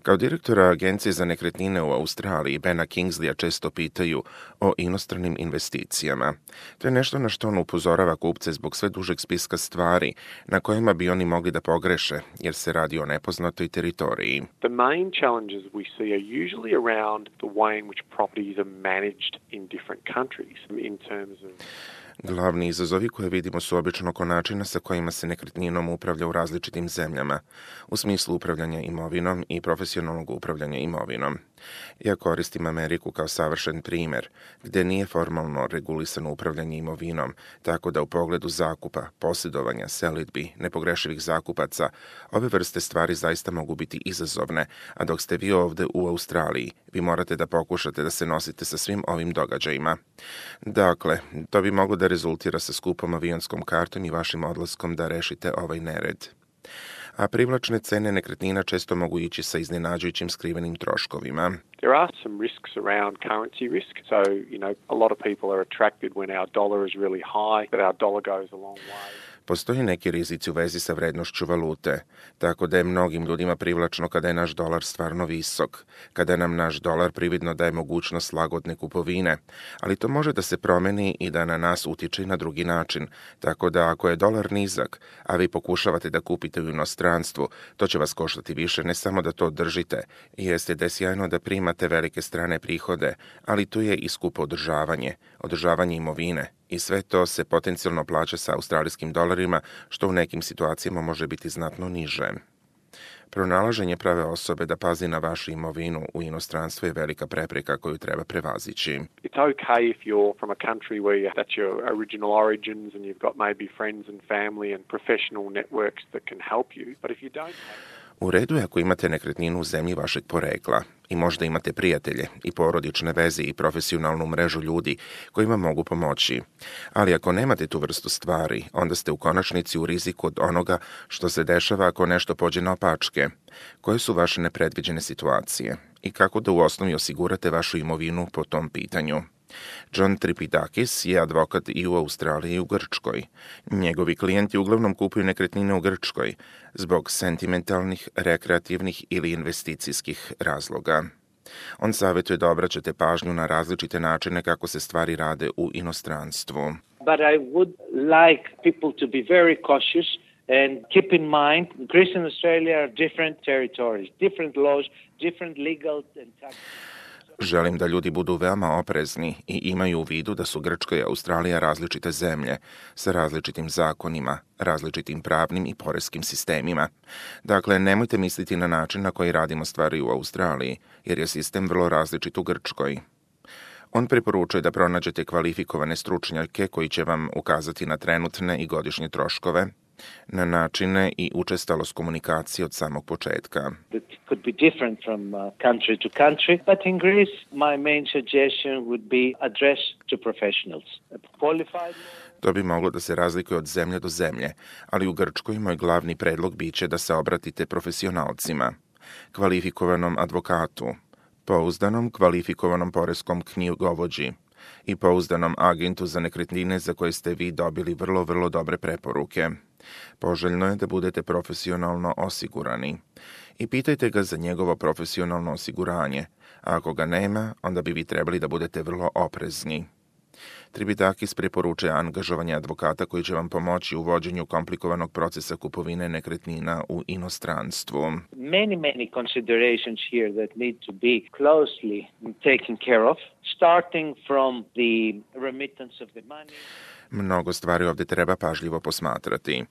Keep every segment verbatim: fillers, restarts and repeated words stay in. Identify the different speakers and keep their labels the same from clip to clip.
Speaker 1: Kao direktora Agencije za nekretnine u Australiji, Bena Kingsleya često pitaju o inostranim investicijama. To je nešto na što on upozorava kupce zbog sve dužeg spiska stvari na kojima bi oni mogli da pogreše, jer se radi o nepoznatoj teritoriji.
Speaker 2: The main challenges we see are usually around the way in which properties are managed in different countries in terms of
Speaker 1: Glavni izazovi koje vidimo su obično oko načina sa kojima se nekretninom upravlja u različitim zemljama, u smislu upravljanja imovinom i profesionalnog upravljanja imovinom. Ja koristim Ameriku kao savršen primjer, gdje nije formalno regulisano upravljanje imovinom, tako da u pogledu zakupa, posjedovanja, selidbi, nepogrešivih zakupaca, ove vrste stvari zaista mogu biti izazovne, a dok ste vi ovdje u Australiji, vi morate da pokušate da se nosite sa svim ovim događajima. Dakle, to bi moglo da rezultira sa skupom avionskom kartom i vašim odlaskom da rešite ovaj nered. A privlačne cene nekretnina često mogu ići sa iznenađujućim skrivenim troškovima.
Speaker 2: There are some risks around currency risk. So, you know, a lot of people are attracted when our dollar is really high, but our dollar goes a long way.
Speaker 1: Postoji neki rizici u vezi sa vrednošću valute, tako da je mnogim ljudima privlačno kada je naš dolar stvarno visok, kada nam naš dolar prividno daje mogućnost lagodne kupovine, ali to može da se promeni i da na nas utiče i na drugi način, tako da ako je dolar nizak, a vi pokušavate da kupite u inostranstvu, to će vas koštati više ne samo da to držite, jeste da je sjajno da primate velike strane prihode, ali tu je i skupo održavanje, održavanje imovine. I sve to se potencijalno plaća sa australijskim dolarima, što u nekim situacijama može biti znatno niže. Pronalaženje prave osobe da pazi na vašu imovinu u inostranstvu je velika prepreka koju treba prevazići.
Speaker 2: It's okay if you're from a country where you, that's your original origins and you've got maybe friends and family and professional networks that can help you. But if you don't have...
Speaker 1: U redu je ako imate nekretninu u zemlji vašeg porekla i možda imate prijatelje i porodične veze i profesionalnu mrežu ljudi kojima mogu pomoći. Ali ako nemate tu vrstu stvari, onda ste u konačnici u riziku od onoga što se dešava ako nešto pođe naopačke. Koje su vaše nepredviđene situacije i kako da u osnovi osigurate vašu imovinu po tom pitanju? John Tripidakis je advokat i u Australiji i u Grčkoj. Njegovi klijenti uglavnom kupuju nekretnine u Grčkoj zbog sentimentalnih, rekreativnih ili investicijskih razloga. On savjetuje da obraćate pažnju na različite načine kako se stvari rade u inostranstvu.
Speaker 3: But I would like people to be very cautious and keep in mind Greece and Australia are different territories, different laws, different legal and tax.
Speaker 1: Želim da ljudi budu veoma oprezni i imaju u vidu da su Grčka i Australija različite zemlje, sa različitim zakonima, različitim pravnim i poreskim sistemima. Dakle, nemojte misliti na način na koji radimo stvari u Australiji, jer je sistem vrlo različit u Grčkoj. On preporučuje da pronađete kvalifikovane stručnjake koji će vam ukazati na trenutne i godišnje troškove, na načine i učestalost komunikacije od samog početka.
Speaker 3: It could be different from uh, country to country, but in Greece my main suggestion would be address to professionals. Qualified...
Speaker 1: To bi moglo da se razlikuje od zemlje do zemlje, ali u Grčkoj moj glavni predlog biće da se obratite profesionalcima, kvalifikovanom advokatu, pouzdanom kvalifikovanom poreskom knjigovođi i pouzdanom agentu za nekretnine za koje ste vi dobili vrlo, vrlo dobre preporuke. Poželjno je da budete profesionalno osigurani. I pitajte ga za njegovo profesionalno osiguranje, a ako ga nema, onda bi vi trebali da budete vrlo oprezni. Tripidakis preporučuje angažovanje advokata koji će vam pomoći u vođenju komplikovanog procesa kupovine nekretnina u inostranstvu.
Speaker 3: Many, many considerations here that need to be closely taken care of, starting from the remittance of the money.
Speaker 1: Mnogo stvari ovdje treba pažljivo posmatrati,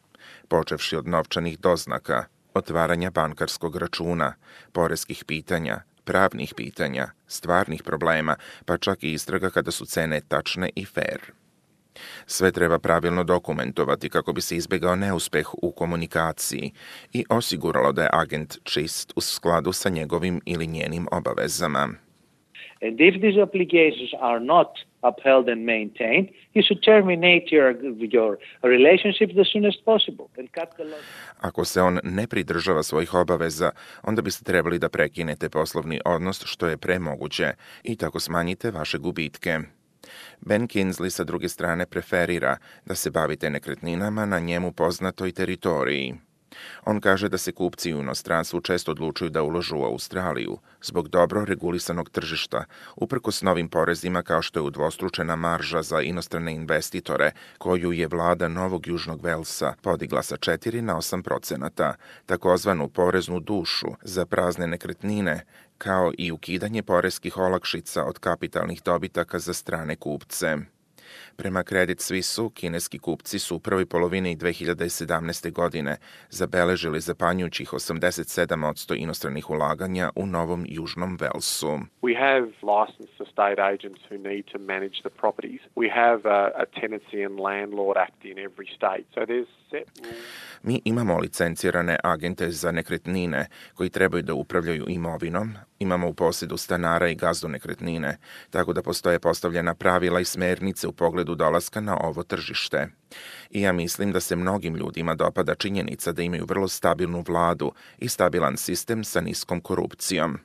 Speaker 1: počevši od novčanih doznaka, otvaranja bankarskog računa, poreskih pitanja, pravnih pitanja, stvarnih problema, pa čak i istraga kada su cene tačne i fair. Sve treba pravilno dokumentovati kako bi se izbjegao neuspeh u komunikaciji i osiguralo da je agent čist u skladu sa njegovim ili njenim obavezama.
Speaker 3: And if these obligations are not upheld and maintained, you should terminate your, your relationship as soon as possible and cut the loss.
Speaker 1: Ako se on ne pridržava svojih obaveza, onda biste trebali da prekinete poslovni odnos što je premoguće i tako smanjite vaše gubitke. Ben Kingsley sa druge strane preferira da se bavite nekretninama na njemu poznatoj teritoriji. On kaže da se kupci u inostranstvu često odlučuju da uložu u Australiju zbog dobro regulisanog tržišta, uprkos novim porezima kao što je udvostručena marža za inostrane investitore, koju je vlada Novog Južnog Velsa podigla sa četiri na osam procenata, takozvanu poreznu dušu za prazne nekretnine, kao i ukidanje poreskih olakšica od kapitalnih dobitaka za strane kupce. Prema Credit Suisse-u, kineski kupci su u prvoj polovini dve hiljade sedamnaeste. godine zabeležili zapanjujućih osamdeset sedam posto inostranih ulaganja u Novom Južnom Velsu.
Speaker 2: We have licensed estate agents who need to manage the properties. We have a, a tenancy and landlord act in every state. So there's set rules.
Speaker 1: Mi imamo licencirane agente za nekretnine koji trebaju da upravljaju imovinom, imamo u posjedu stanara i gazdu nekretnine, tako da postoje postavljena pravila i smernice u pogledu dolaska na ovo tržište. I ja mislim da se mnogim ljudima dopada činjenica da imaju vrlo stabilnu vladu i stabilan sistem sa niskom korupcijom.